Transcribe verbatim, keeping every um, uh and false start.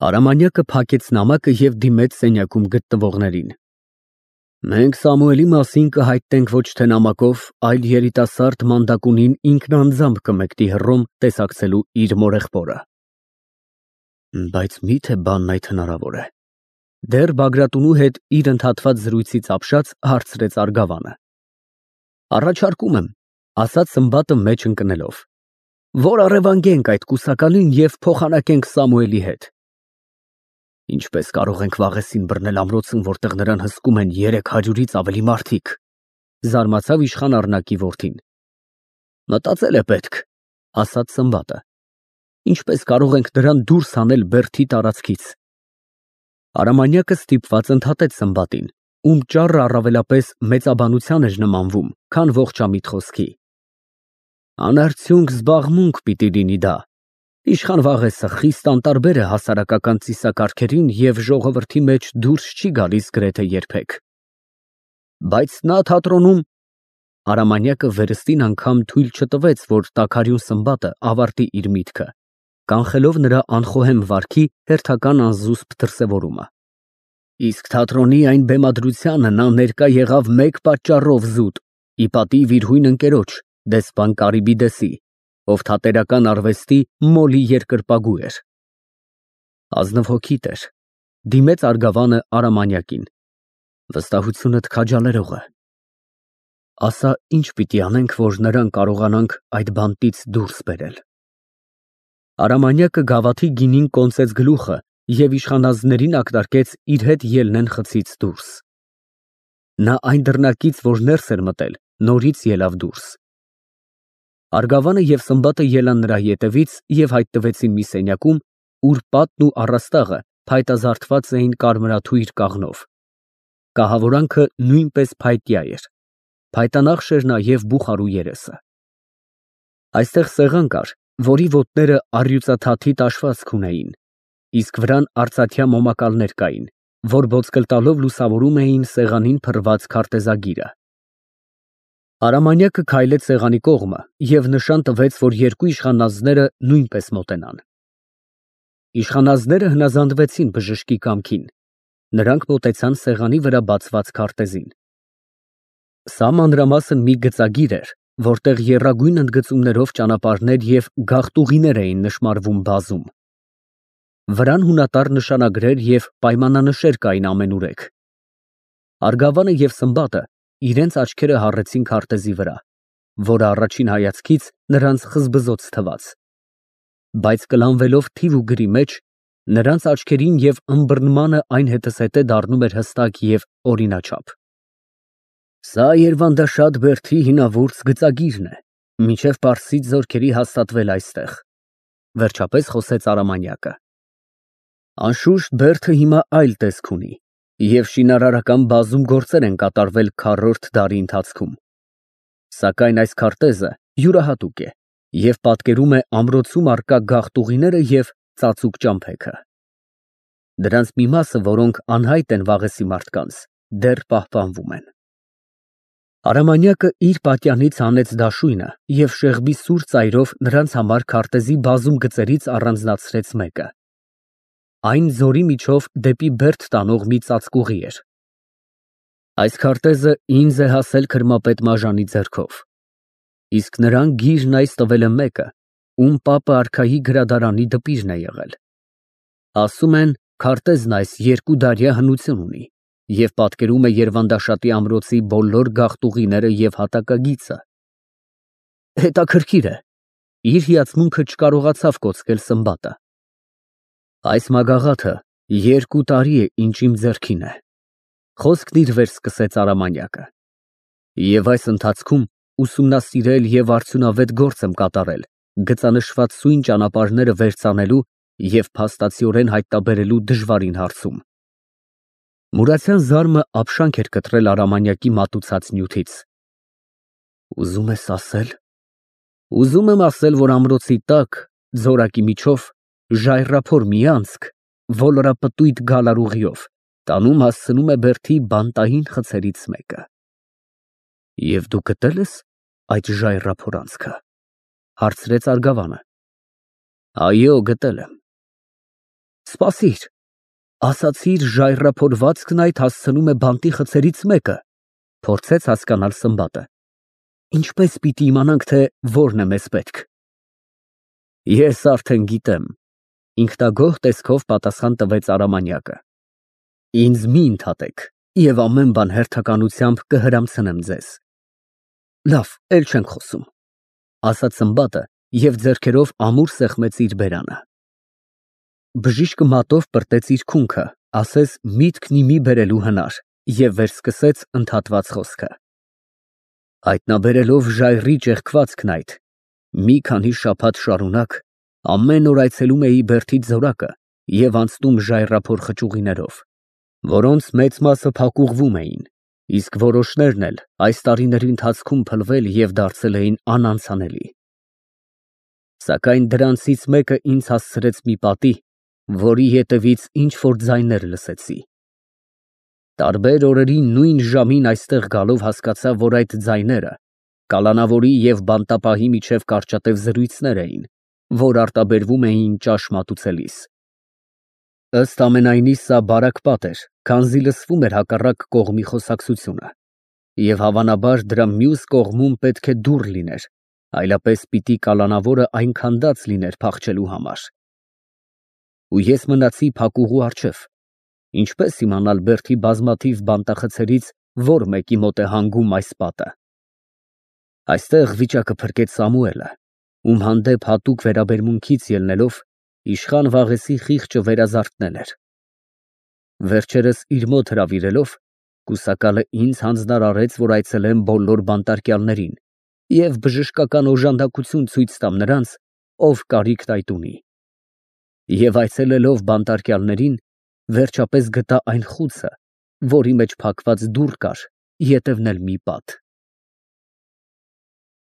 Արամանյակը փակեց նամակը և դիմեց սենյակում գտնվողներին։ Մենք Սամուելի մասին կհայտնենք ոչ թե նամակով, այլ երիտասարդ մանդակունին ինքն անձամբ կմեկնի Հռոմ տեսակցելու իր մորեղբորը։ Բայց մի՞թե բանն այդ հնարավոր է։ Դեռ Բագրատունու հետ իր ընդհատված զրույցից ապշած հարցրեց Արգավանը։ Առաջարկում եմ, ասաց Սմբատը մեջ ընկնելով, որ առևանգենք այդ կուսակալին և փոխանակենք Սամուելի հետ։ Ինչպես կարող ենք վաղեսին բռնել ամրոցում, որտեղ նրան հսկում են երեք հարյուրից ավելի մարդիկ, զարմացավ իշխան Առնակի որդին։ Մտածել է պետք, ասաց Սմբատը։ Ինչպես կարող ենք նրան դուրս հանել Բերդի տարածքից։ Արամանյակը ստիպված ընդհատեց Սմբատին, ում ճառը առավելապես մեծաբանության էր նմանվում, քան ողջամիտ խոսքի։ Անարդյունք զբաղմունք պիտի լինի դա։ Իշխան Վաղեսը խիստ անտարբեր է հասարակական ծիսակարգերին և ժողովրդի մեջ դուրս չի գալիս գրեթե երբեք։ Բայց նա թատրոնում… Արամանյակը վերստին անգամ թույլ չտվեց, որ տաքարյուն Սմբատը ավարտի իր միտքը, կանխելով նրա անխոհեմ վարքի հերթական անզուսպ դրսևորումը։ Իսկ թատրոնի այն բեմադրությանը նա ներկա եղավ մեկ պատճառով զուտ, ի պատիվ իր հույն ընկերոջ, դեսպան Կարիբիդեսի, ով թատերական արվեստի մոլի երկրպագու էր։ Ազնվհոգիտ էր, դիմեց Արգավանը Արամանյակին։ Վստահությունդ քաջալերող է։ Ասա, ինչ պիտի անենք, որ նրան կարողանանք այդ բանտից դուրս բերել։ Արամանյակը գավաթի գինին կոնծեց գլուխը և իշխանանձներին ակնարկեց իր հետ ելնեն խցից դուրս։ Նա այն դռնակից, որ ներս էր մտել, նորից ելավ դուրս։ Արգավանը և Սմբատը ելան նրա ետևից և հայտնվեցին մի սենյակում, ուր պատն ու առաստաղը փայտազարդված էին կարմրաթույր կաղնով։ Կահավորանքը նույնպես փայտյա էր, փայտանախշ էր նաև բուխարու երեսը։ Այստեղ սեղան կար, որի ոտները առյուծաթաթի տաշվածք ունեին, իսկ վրան արծաթյա մոմակալներ կային, որ ոսկլ տալով լուսավորում էին սեղանին փռված քարտեզագիրը։ Արամանյակը քայլեց սեղանի կողմը և նշան տվեց, որ երկու իշխանանձները նույնպես մոտենան։ Իշխանանձները հնազանդվեցին բժշկի կամքին։ Նրանք մոտեցան սեղանի վրա բացված քարտեզին։ Սա մանրամասն մի գծագիր էր, որտեղ եռագույն ընդգծումներով ճանապարհներ և գաղտուղիներ էին նշմարվում բազում։ Վրան հունատար նշանագրեր և պայմանանշեր կային ամենուրեք։ Արգավանը և Սմբատը իրենց աչքերը հառեցին քարտեզի վրա, որը առաջին հայացքից նրանց խզբզոց թվաց։ Բայց կլանվելով թիվ ու գրի մեջ, նրանց աչքերին և ըմբռնմանը այն հետզհետե դառնում էր հստակ և օրինաչափ։ Սա Երվանդաշատ Բերդի հինավուրց գծագիրն է, մինչև պարսից զորքերի հաստատվել այստեղ, վերջապես խոսեց Արամանյակը։ Անշուշտ Բերդը հիմա այլ տեսք ունի, և շինարարական բազում գործեր են կատարվել քառորդ դարի ընթացքում։ Սակայն այս քարտեզը յուրահատուկ է և պատկերում է ամրոցում առկա գաղտուղիները և ծածուկ ճամփեքը։ Դրանց մի մասը, որոնք անհայտ են Վաղեսի մարդկանց, դեռ պահպանվում են։ Արամանյակը իր պատյանից հանեց դաշույնը և շեղբի սուր ծայրով նրանց համար քարտեզի բազում գծերից առանձնացրեց մեկը։ Այն ձորի միջով դեպի Բերդ տանող մի ծածկուղի էր։ Այս քարտեզը ինձ է հասել քրմապետ Մաժանի ձեռքով, իսկ նրան գիրն այս տվել է մեկը, ում պապը արքայի գրադարանի դպիրն է եղել։ Ասում են, քարտեզն այս երկուդարյա հնություն ունի և պատկերում է Երվանդաշատի ամրոցի բոլոր գաղտուղիները և հատակագիծը։ Հետաքրքիր է, իր հիացմունքը չկարողացավ կոծկել Սմբատը։ Այս մագաղաթը երկու տարի է, ինչ իմ ձեռքին է, խոսքն իր վեր սկսեց Արամանյակը, և այս ընթացքում ուսումնասիրել և արդյունավետ գործ եմ կատարել գծանշված սույն ճանապարհները վերծանելու և փաստացիորեն հայտնաբերելու դժվարին հարցում։ Մուրացյան զարմը ապշանք էր կտրել Արամանյակի մատուցած նյութից։ Ուզում ես ասել… Ուզում եմ ասել, որ ամրոցի տակ, ձորակի միջով, ժայռափոր մի անցք, ոլորապտույտ գալարուղիով, տանում հասցնում է Բերդի բանտային խցերից մեկը։ Եվ դու գտե՞լ ես այդ ժայռափոր անցքը, հարցրեց Արգավանը։ Այո, գտել եմ։ Սպասիր, ասացիր ժայռափորվածքն այդ հասցնում է բանտի խցերից մեկը, փորձեց հասկանալ Սմբատը։ Ինչպես պիտի իմանանք, թե որն է մեզ պետք։ Ես արդեն գիտեմ, ինքնագոհ տեսքով պատասխան տվեց Արամանյակը։ Ինձ մի ընդհատեք և ամեն բան հերթականությամբ կհրամցնեմ ձեզ։ Լավ, էլ չենք խոսում, ասաց Սմբատը և ձեռքերով ամուր սեղմեց իր բերանը։ Բժիշկը մատով պրտեց իր քունքը, ասես միտքն ի մի բերելու հնար, և վերսկսեց ընդհատված խոսքը։ Հայտնաբերելով ժայռի ճեղքվածքն այդ, մի քանի շաբաթ շարունակ ամեն օր այցելում էի Բերդից զորակը և անցնում ժայռափոր խճուղիներով, որոնց մեծ մասը փակուղվում էին, իսկ որոշներն էլ այս տարիների ընթացքում փլվել և դարձել էին անանցանելի։ Սակայն դրանցից մեկը ինձ հասցրեց մի պատի, որի ետևից ինչ֊որ ձայներ լսեցի։ Տարբեր օրերի նույն ժամին այստեղ գալով հասկացա, որ այդ ձայները կալանավորի և բանտապահի միջև կարճատև զրույցներ էին, որ արտաբերվում էին ճաշ մատուցելիս։ Ըստ ամենայնի, սա բարակ պատ էր, քանզի լսվում էր հակառակ կողմի խոսակցությունը, և հավանաբար դրա մյուս կողմում պետք է դուռ լիներ, այլապես պիտի կալանավորը այն քանդած լիներ փախչելու համար։ Ու ես մնացի փակուղու առջև, ինչպես իմանալ Բերդի բազմաթիվ բանտախցերից որ մեկի մոտ է հանգում այս պատը։ Այստեղ վիճակը փրկեց Սամուելը, ում հանդեպ հատուկ վերաբերմունքից ելնելով, իշխան Վաղեսի խիղճը վերազարթնել էր։ Վերջերս իր մոտ հրավիրելով, կուսակալը ինձ հանձնարարեց, որ այցելեմ բոլոր բանտարկյալներին և բժշկական օժանդակություն ցույց տամ նրանց, ով կարիքն այդ ունի։ Եվ այցելելով բանտարկյալներին, վերջապես գտա այն խուցը, որի մեջ փակված դուռ կար, ետևն էլ մի պատ։